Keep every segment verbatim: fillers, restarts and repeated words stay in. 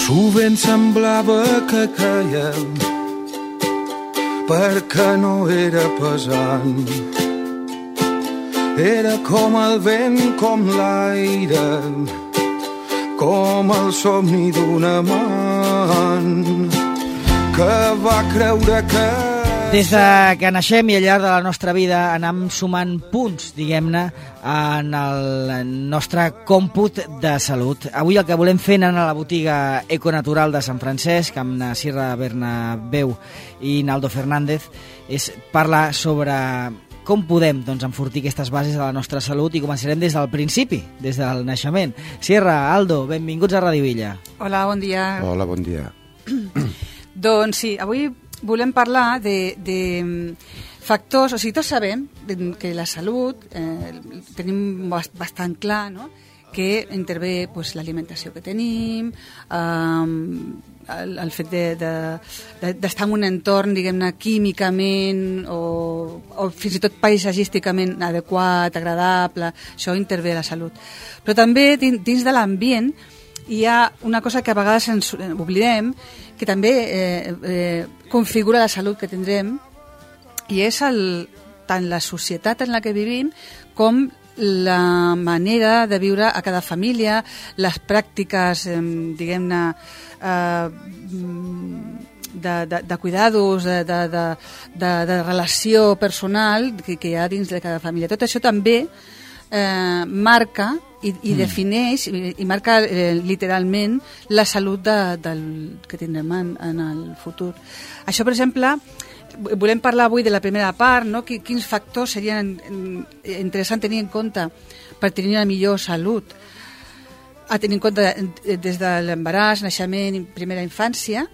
Sovint semblava que caiem perquè no era pesant. Era com el vent, com l'aire, com el somni d'un amant que va creure que... Des de que naixem i al llarg de la nostra vida anem sumant punts, diguem-ne, en el nostre còmput de salut. Avui el que volem fer anant a la botiga Econatural de Sant Francesc amb na Sierra Bernabéu i Naldo Fernández és parlar sobre com podem doncs, enfortir aquestes bases de la nostra salut, i començarem des del principi, des del naixement. Sierra, Aldo, benvinguts a Radio Villa. Hola, bon dia. Hola, bon dia. Doncs sí, avui volem parlar de, de factors, o sigui, tots sabem que la salut eh, tenim bastant clar, no?, que intervé pues, l'alimentació que tenim, eh, el, el fet d'estar de, de, de, en un entorn, diguem-ne, químicament o, o fins i tot paisatgísticament adequat, agradable, això intervé a la salut. Però també dins de l'ambient hi ha una cosa que a vegades ens oblidem, que també eh, eh, configura la salut que tindrem, i és el, tant la societat en la que vivim com la manera de viure a cada família, les pràctiques, eh, diguem-ne, eh, de, de, de cuidados, de, de, de, de, de relació personal que, que hi ha dins de cada família. Tot això també eh, marca i, i mm. defineix i, i marca eh, literalment la salut de, del que tindrem en, en el futur. Això, per exemple, volem parlar avui de la primera part, no? Quins factors serien interessants tenir en compte per tenir una millor salut, a tenir en compte des de l'embaràs, naixement i primera infància.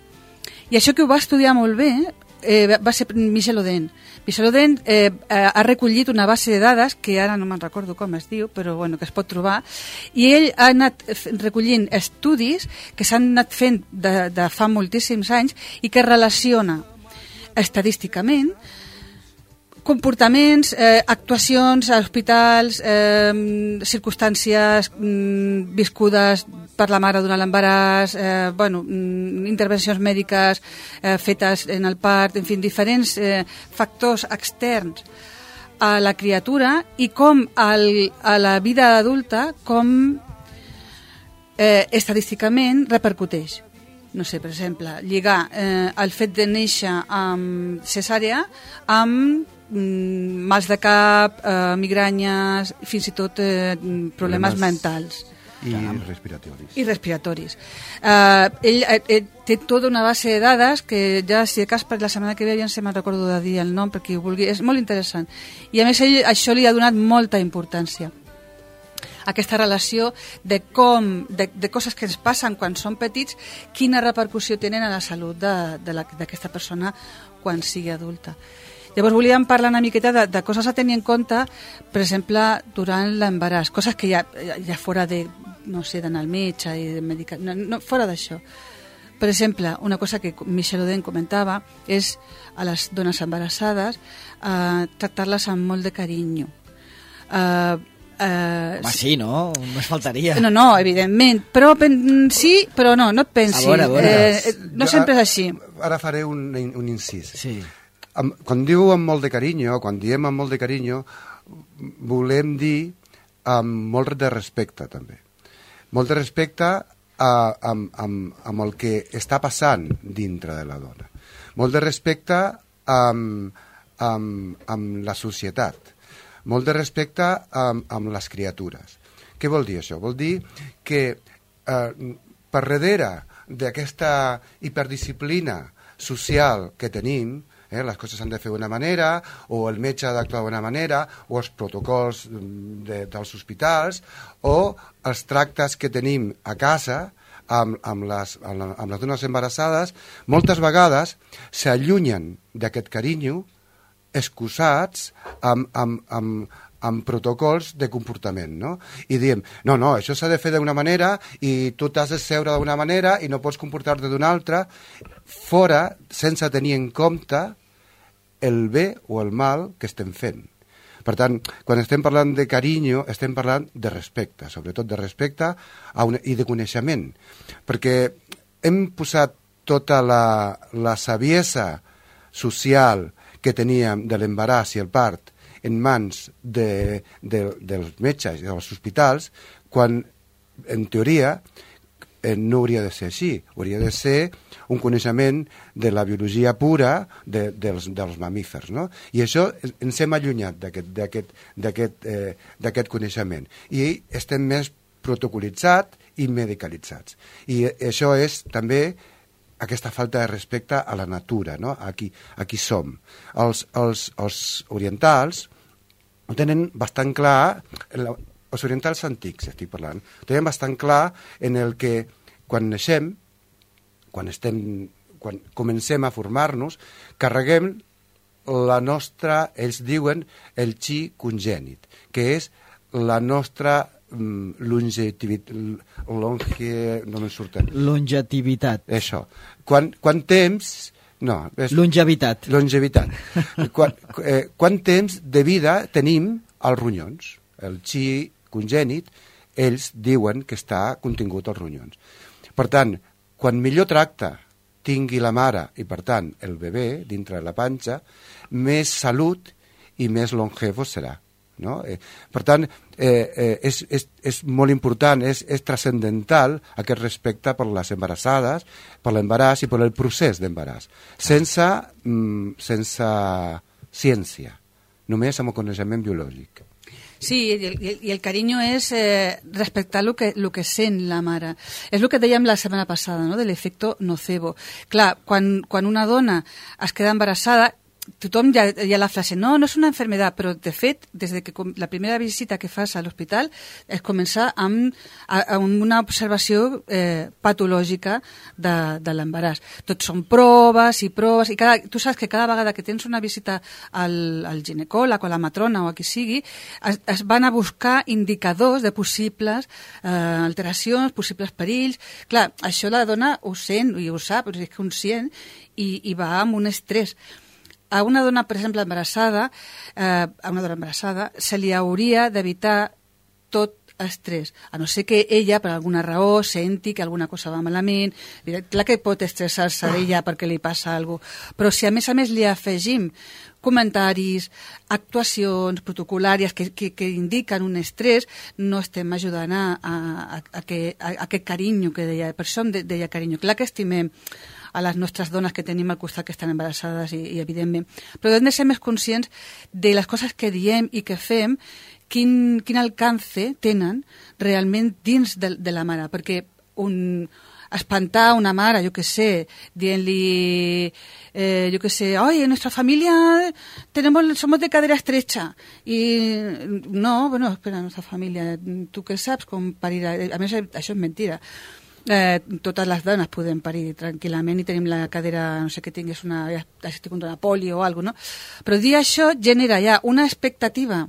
I això que ho va estudiar molt bé eh, va ser Michel Oden. Michel Oden eh, ha recollit una base de dades, que ara no me'n recordo com es diu, però bueno, que es pot trobar, i ell ha anat recollint estudis que s'han anat fent de, de fa moltíssims anys i que relaciona estadísticament comportaments, eh, actuacions a hospitals, eh, circumstàncies mm, viscudes per la mare durant l'embaràs, eh, bueno, mm, intervencions mèdiques eh, fetes en el part, en fi, diferents eh, factors externs a la criatura, i com al, a la vida adulta com eh, estadísticament repercuteix. No sé, per exemple, lligar eh, el fet de néixer amb cesàrea amb mm, mals de cap, eh, migranyes, fins i tot eh, problemes, problemes mentals. I respiratoris. I respiratoris. Eh, ell, ell té tota una base de dades que ja, si de cas, per la setmana que ve ja no sé, me'n recordo de dir el nom, perquè ho vulgui. És molt interessant. I a més, ell això li ha donat molta importància, aquesta relació de com, de, de coses que ens passen quan som petits, quina repercussió tenen a la salut d'aquesta persona quan sigui adulta. Llavors volíem parlar una miqueta de, de coses a tenir en compte, per exemple, durant l'embaràs, coses que ja, ja fora de, no sé, d'anar al metge i de medicar, no, no, fora d'això. Per exemple, una cosa que Michel Oden comentava és a les dones embarassades eh, tractar-les amb molt de carinyo. Eh, Uh, Home, sí, no? Només faltaria. No, no, evidentment. Però pen, sí, però no, no et pensis. A veure, a veure. Eh, no jo, sempre és així. Ara faré un, un incís. Sí. Am, quan diu amb molt de carinyo, quan diem amb molt de carinyo, volem dir amb molt de respecte, també. Molt de respecte a, amb, amb, amb el que està passant dintre de la dona. Molt de respecte amb, amb, amb la societat. Molt de respecte amb, amb les criatures. Què vol dir això? Vol dir que eh, per darrere d'aquesta hiperdisciplina social que tenim, eh, les coses s'han de fer d'una manera, o el metge ha d'actuar d'una manera, o els protocols de, dels hospitals, o els tractes que tenim a casa amb, amb, les, amb, amb les dones embarassades, moltes vegades s'allunyen d'aquest carinyo excusats amb, amb, amb, amb protocols de comportament, no? I diem, no, no, això s'ha de fer d'una manera i tu t'has de seure d'una manera i no pots comportar-te d'una altra, fora, sense tenir en compte el bé o el mal que estem fent. Per tant, quan estem parlant de carinyo, estem parlant de respecte, sobretot de respecte a una, i de coneixement, perquè hem posat tota la, la saviesa social que teníem de l'embaràs i el part en mans de, de, dels metges i dels hospitals, quan en teoria eh, no hauria de ser així, hauria de ser un coneixement de la biologia pura de, dels, dels mamífers, no? I això ens hem allunyat d'aquest eh, coneixement i estem més protocolitzats i medicalitzats. I això és també aquesta falta de respecte a la natura, no? a, qui, a qui som. Els, els, els orientals ho tenen bastant clar, els orientals antics estic parlant, ho tenen bastant clar en el que quan naixem, quan, estem, quan comencem a formar-nos, carreguem la nostra, ells diuen, el chi congènit, que és la nostra longetivitat, longe, no me'n surten. Longetivitat. Això. Quan, quan temps... No, és, longevitat. Longevitat. quan, eh, quant temps de vida tenim als ronyons? El chi congènit, ells diuen que està contingut als ronyons. Per tant, quan millor tracte tingui la mare i, per tant, el bebè dintre de la panxa, més salut i més longevo serà. No? Eh, per tant, eh, eh, és, és, és molt important, és, és transcendental aquest respecte per les embarassades, per l'embaràs i per el procés d'embaràs, sense, mm, sense ciència, només amb el coneixement biològic. Sí, i el, i el carinyo és eh, respectar el que, lo que sent la mare. És el que dèiem la setmana passada, no? De l'efecte nocebo. Clar, quan, quan una dona es queda embarassada, tothom ja, ja la frase, no, no és una enfermedad, però de fet, des de que la primera visita que fas a l'hospital es comença amb, amb una observació eh, patològica de, de l'embaràs. Tot són proves i proves, i cada, tu saps que cada vegada que tens una visita al, al ginecòleg o a la matrona o a qui sigui, es, es van a buscar indicadors de possibles eh, alteracions, possibles perills. Clar, això la dona ho sent i ho sap, és conscient, i, i va amb un estrès. A una dona, per exemple, embarassada, eh, a una dona embarassada, se li hauria d'evitar tot estrès, a no ser que ella, per alguna raó, senti que alguna cosa va malament. Clar que pot estressar-se ella perquè li passa alguna cosa, però si a més a més li afegim comentaris, actuacions protocolàries que, que, que indiquen un estrès, no estem ajudant a, a, a, que, a, a aquest carinyo que deia, per això em deia carinyo. Clar que estimem a les nostres dones que tenim al costat que estan embarassades i, i evidentment, però hem de ser més conscients de les coses que diem i que fem, quin, quin alcance tenen realment dins de, de la mare, perquè un, espantar una mare, jo que sé, dient-li, eh, jo que sé, oi, en nuestra familia tenemos, somos de cadera estrecha, i no, bueno, espera, nuestra familia, tu què saps com parir, a més això és mentira. Eh, totes les dones podem parir tranquil·lament i tenim la cadera, no sé què tingués, una, ja estic una polio o alguna cosa, no? Però dir això genera ja una expectativa,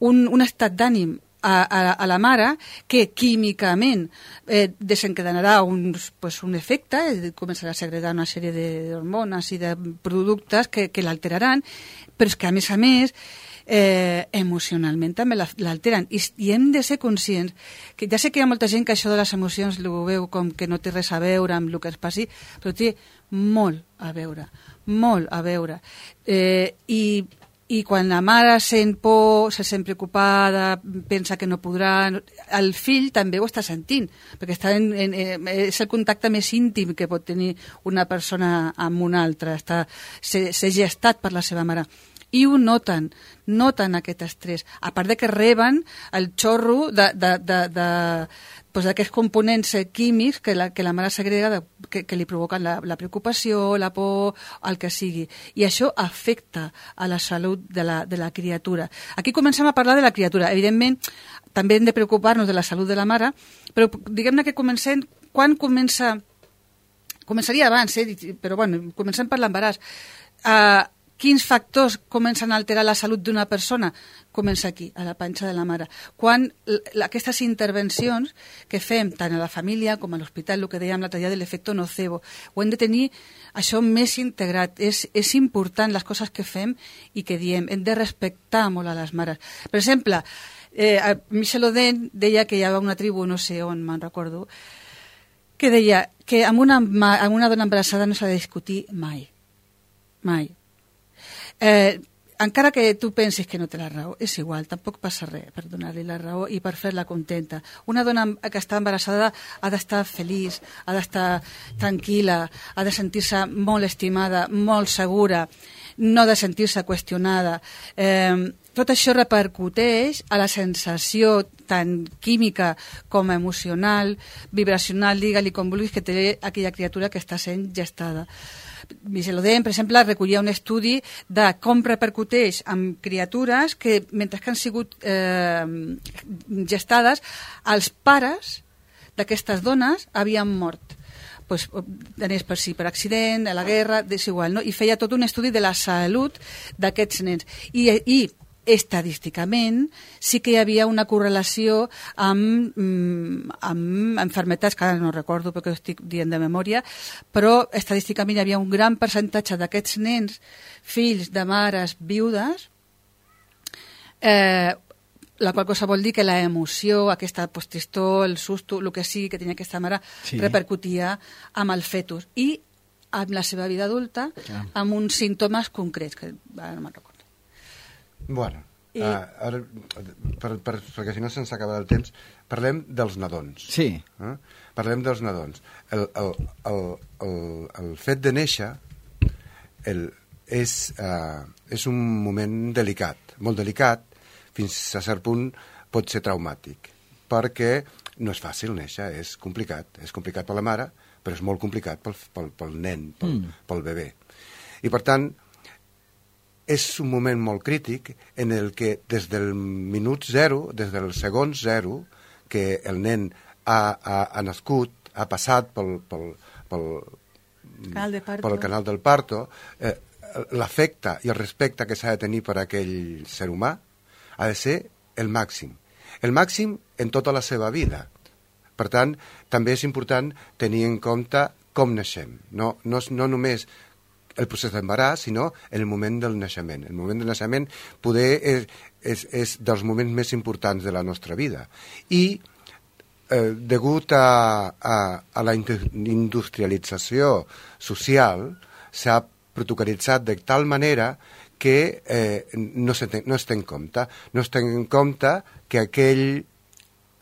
un, un estat d'ànim a, a, a la mare que químicament eh, desencadenarà un, pues, un efecte, eh, començarà a segregar una sèrie d'hormones i de productes que, que l'alteraran, però és que a més a més Eh, emocionalment també l'alteren I, i hem de ser conscients que ja sé que hi ha molta gent que això de les emocions ho veu com que no té res a veure amb el que es passi, però té molt a veure, molt a veure eh, i, i quan la mare sent por, se sent preocupada, pensa que no podrà, el fill també ho està sentint, perquè està en, en, en, és el contacte més íntim que pot tenir una persona amb una altra, està, ser, ser gestat per la seva mare. I ho noten, noten aquest estrès, a part de que reben el xorro de, de, de, de, pues d'aquests components químics que la, que la mare segrega de, que, que li provoquen la, la preocupació, la por, el que sigui. I això afecta a la salut de la, de la criatura. Aquí comencem a parlar de la criatura. Evidentment, també hem de preocupar-nos de la salut de la mare, però diguem-ne que comencem, quan comença... Començaria abans, eh? Però bueno, comencem per l'embaràs. Uh, Quins factors comencen a alterar la salut d'una persona? Comença aquí, a la panxa de la mare. Quan aquestes intervencions que fem tant a la família com a l'hospital, el que dèiem l'altre dia de l'efecte nocebo, ho hem de tenir això més integrat. És, és important les coses que fem i que diem. Hem de respectar molt a les mares. Per exemple, eh, Michel Oden deia que hi havia una tribu, no sé on me'n recordo, que deia que amb una, amb una dona embarassada no s'ha de discutir mai. Mai. Eh, encara que tu pensis que no té la raó, és igual, tampoc passa res per donar-li la raó i per fer-la contenta. Una dona que està embarassada ha d'estar feliç, ha d'estar tranquil·la, ha de sentir-se molt estimada, molt segura, no de sentir-se qüestionada. Eh, tot això repercuteix a la sensació tant química com emocional, vibracional, digue-li com vulguis, que té aquella criatura que està sent gestada. Michel Oden, per exemple, recollia un estudi de com repercuteix amb criatures que, mentre que han sigut eh, gestades, els pares d'aquestes dones havien mort. Pues, anés per si per accident, a la guerra, és igual, no? I feia tot un estudi de la salut d'aquests nens. I, i estadísticament sí que hi havia una correlació amb, amb enfermetats, que ara no recordo perquè ho estic dient de memòria, però estadísticament hi havia un gran percentatge d'aquests nens, fills de mares viudes, eh, la qual cosa vol dir que la emoció, aquesta postistó, el susto, el que sigui que tenia aquesta mare, sí, repercutia amb el fetus i amb la seva vida adulta, ah, amb uns símptomes concrets, que ara no me'n recordo. Bueno, I... uh, ara, per, per, perquè si no se'ns acaba el temps, parlem dels nadons. Sí. Eh? Parlem dels nadons. El, el, el, el, el fet de néixer el, és, uh, és un moment delicat, molt delicat, fins a cert punt pot ser traumàtic, perquè no és fàcil néixer, és complicat, és complicat per la mare, però és molt complicat pel, pel, pel nen, pel, mm. pel bebè. I per tant, és un moment molt crític en el que des del minut zero, des del segon zero, que el nen ha, ha, ha nascut, ha passat pel, pel, pel, canal de parto. pel canal del parto, eh, l'afecte i el respecte que s'ha de tenir per a aquell ser humà ha de ser el màxim. El màxim en tota la seva vida. Per tant, també és important tenir en compte com naixem. No, no, no només el procés d'embaràs, sinó el moment del naixement. El moment del naixement poder és, és, és dels moments més importants de la nostra vida. I eh, degut a, a, a la industrialització social s'ha protocolitzat de tal manera que eh, no, se ten, no es té en compte. No es té en compte que aquell,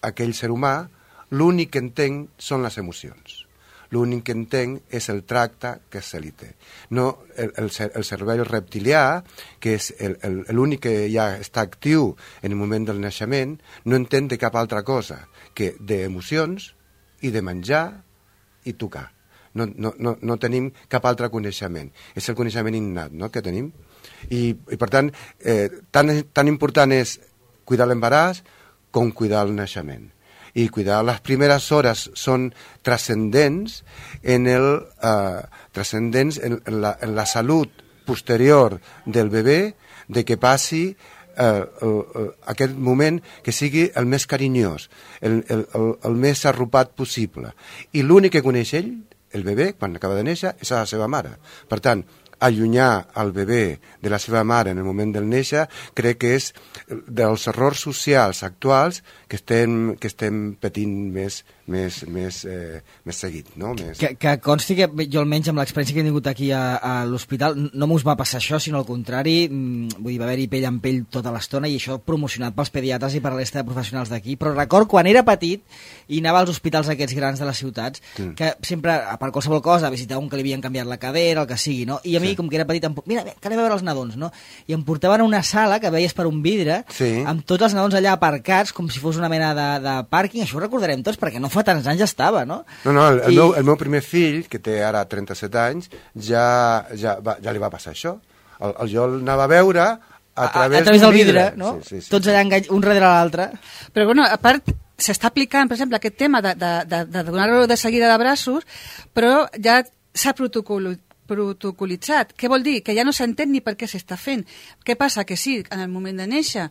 aquell ser humà l'únic que entén són les emocions. L'únic que entenc és el tracte que se li té. No, el, el, el cervell reptilià, que és l'únic que ja està actiu en el moment del naixement, no entén de cap altra cosa que d'emocions i de menjar i tocar. No, no, no, no tenim cap altre coneixement. És el coneixement innat, no?, que tenim. I, i per tant, eh, tan, tan important és cuidar l'embaràs com cuidar el naixement. I cuidar les primeres hores són transcendents en, el, eh, transcendents en, en, la, en la salut posterior del bebè, de que passi eh, el, el, aquest moment que sigui el més carinyós, el, el, el, el més arropat possible. I l'únic que coneix ell, el bebè, quan acaba de néixer, és a la seva mare. Per tant, allunyar el bebè de la seva mare en el moment del néixer, crec que és dels errors socials actuals que estem, que estem patint més, més, més, eh, més seguit. No? Més... Que, que consti que jo almenys amb l'experiència que he tingut aquí a, a l'hospital no m'us va passar això, sinó al contrari, vull dir, va haver-hi pell amb pell tota l'estona i això promocionat pels pediatres i per la resta de professionals d'aquí, però record quan era petit i anava als hospitals aquests grans de les ciutats, sí, que sempre, per qualsevol cosa, visitava un que li havien canviat la cadera, el que sigui, no? I a mi, sí, com que era petit, em... mira, que anem a veure els nadons, no? I em portaven a una sala que veies per un vidre, sí, amb tots els nadons allà aparcats, com si fos una mena de, de pàrquing, això ho recordarem tots, perquè no fa tants anys ja estava, no? No, no, el, el, I... meu, el meu primer fill, que té ara trenta-set anys, ja, ja, va, ja li va passar això. El, el, jo l'anava a veure a través, a, a través del vidre, vidre, no? Sí, sí, sí, tots sí, allà engany... un darrere l'altre. Però, bueno, a part, s'està aplicant, per exemple, aquest tema de, de, de, de donar-lo de seguida de braços, però ja s'ha protocolitzat protocolitzat. Què vol dir? Que ja no s'entén ni per què s'està fent. Què passa? Que sí, en el moment de néixer,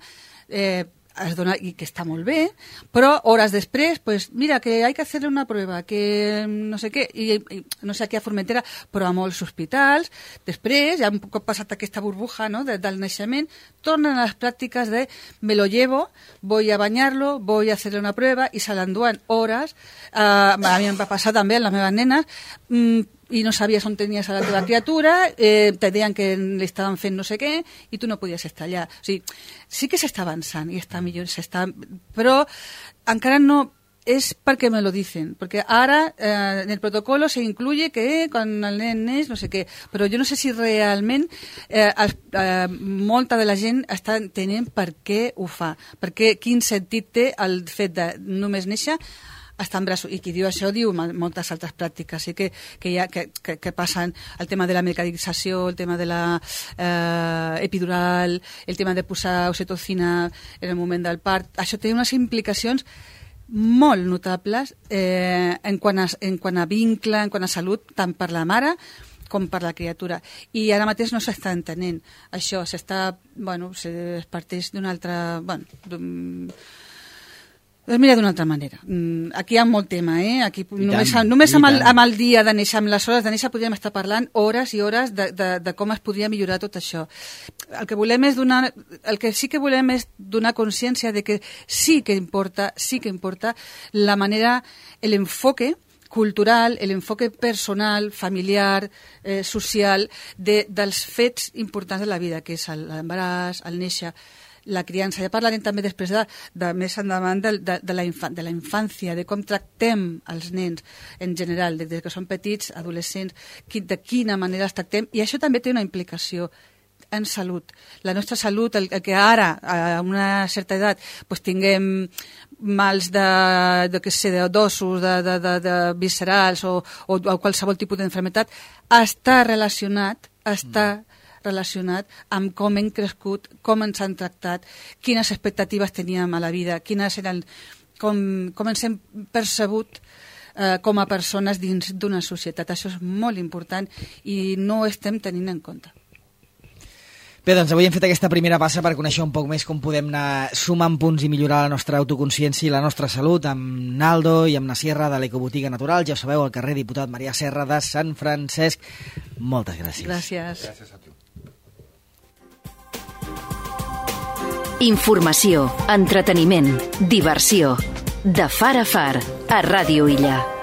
eh, es dona, i que està molt bé, però hores després, pues, mira, que hay que hacerle una prueba, que no sé què, i, i no sé aquí a Formentera, però a molts hospitals, després, ja un cop passat aquesta burbuja, no?, de, del naixement, tornen a les pràctiques de me lo llevo, voy a bañarlo, voy a hacerle una prueba, i se l'enduen hores. Uh, a mi em va passar també amb les meves nenes, mm, i no sabies on tenies a la teva criatura, eh, te deien que li estaven fent no sé què, i tu no podies estar allà. O sigui, sí que s'està avançant, i està millor, s'està... però encara no és perquè me lo dicen, perquè ara eh, en el protocolo se incluye que quan el nen neix no sé què, però jo no sé si realment eh, el, eh, molta de la gent està entenent per què ho fa, perquè quin sentit té el fet de només néixer està en braços, i qui diu això diu moltes altres pràctiques, sí que, que, hi ha, que, que, que passen el tema de la medicalització, el tema de la eh, epidural, el tema de posar oxitocina en el moment del part. Això té unes implicacions molt notables eh, en, quant a, en quant a vincle, en quant a salut, tant per la mare com per la criatura. I ara mateix no s'està entenent això, s'està, bueno, es parteix d'una altra... Bueno, es mira d'una altra manera. Aquí hi ha molt tema, eh? Aquí només, tant, només amb, el, amb el dia de néixer, amb les hores de néixer, podríem estar parlant hores i hores de, de, de com es podria millorar tot això. El que volem és donar, el que sí que volem és donar consciència de que sí que importa, sí que importa la manera, l'enfoque cultural, l'enfoque personal, familiar, eh, social, de, dels fets importants de la vida, que és l'embaràs, el néixer, la criança. Ja parlarem també després de, de més endavant de, de, de, la infan, de la infància, de com tractem els nens en general, des que són petits, adolescents, qui, de quina manera els tractem, i això també té una implicació en salut. La nostra salut, el, el que ara, a una certa edat, pues, tinguem mals de, de, que sé, d'ossos, de, de, de, de viscerals o, o, o qualsevol tipus d'enfermetat, està relacionat, està mm. relacionat amb com hem crescut, com ens han tractat, quines expectatives teníem a la vida, quines eren, com, com ens hem percebut eh, com a persones dins d'una societat. Això és molt important i no ho estem tenint en compte. Bé, doncs avui hem fet aquesta primera passa per conèixer un poc més com podem anar sumant punts i millorar la nostra autoconsciència i la nostra salut amb Naldo i amb la Sierra de l'Ecobotiga Natural. Ja ho sabeu, al carrer Diputat Marià Serra de Sant Francesc. Moltes gràcies. Gràcies. Gràcies a tu. Informació, entreteniment, diversió. De far a far, a Ràdio Illa.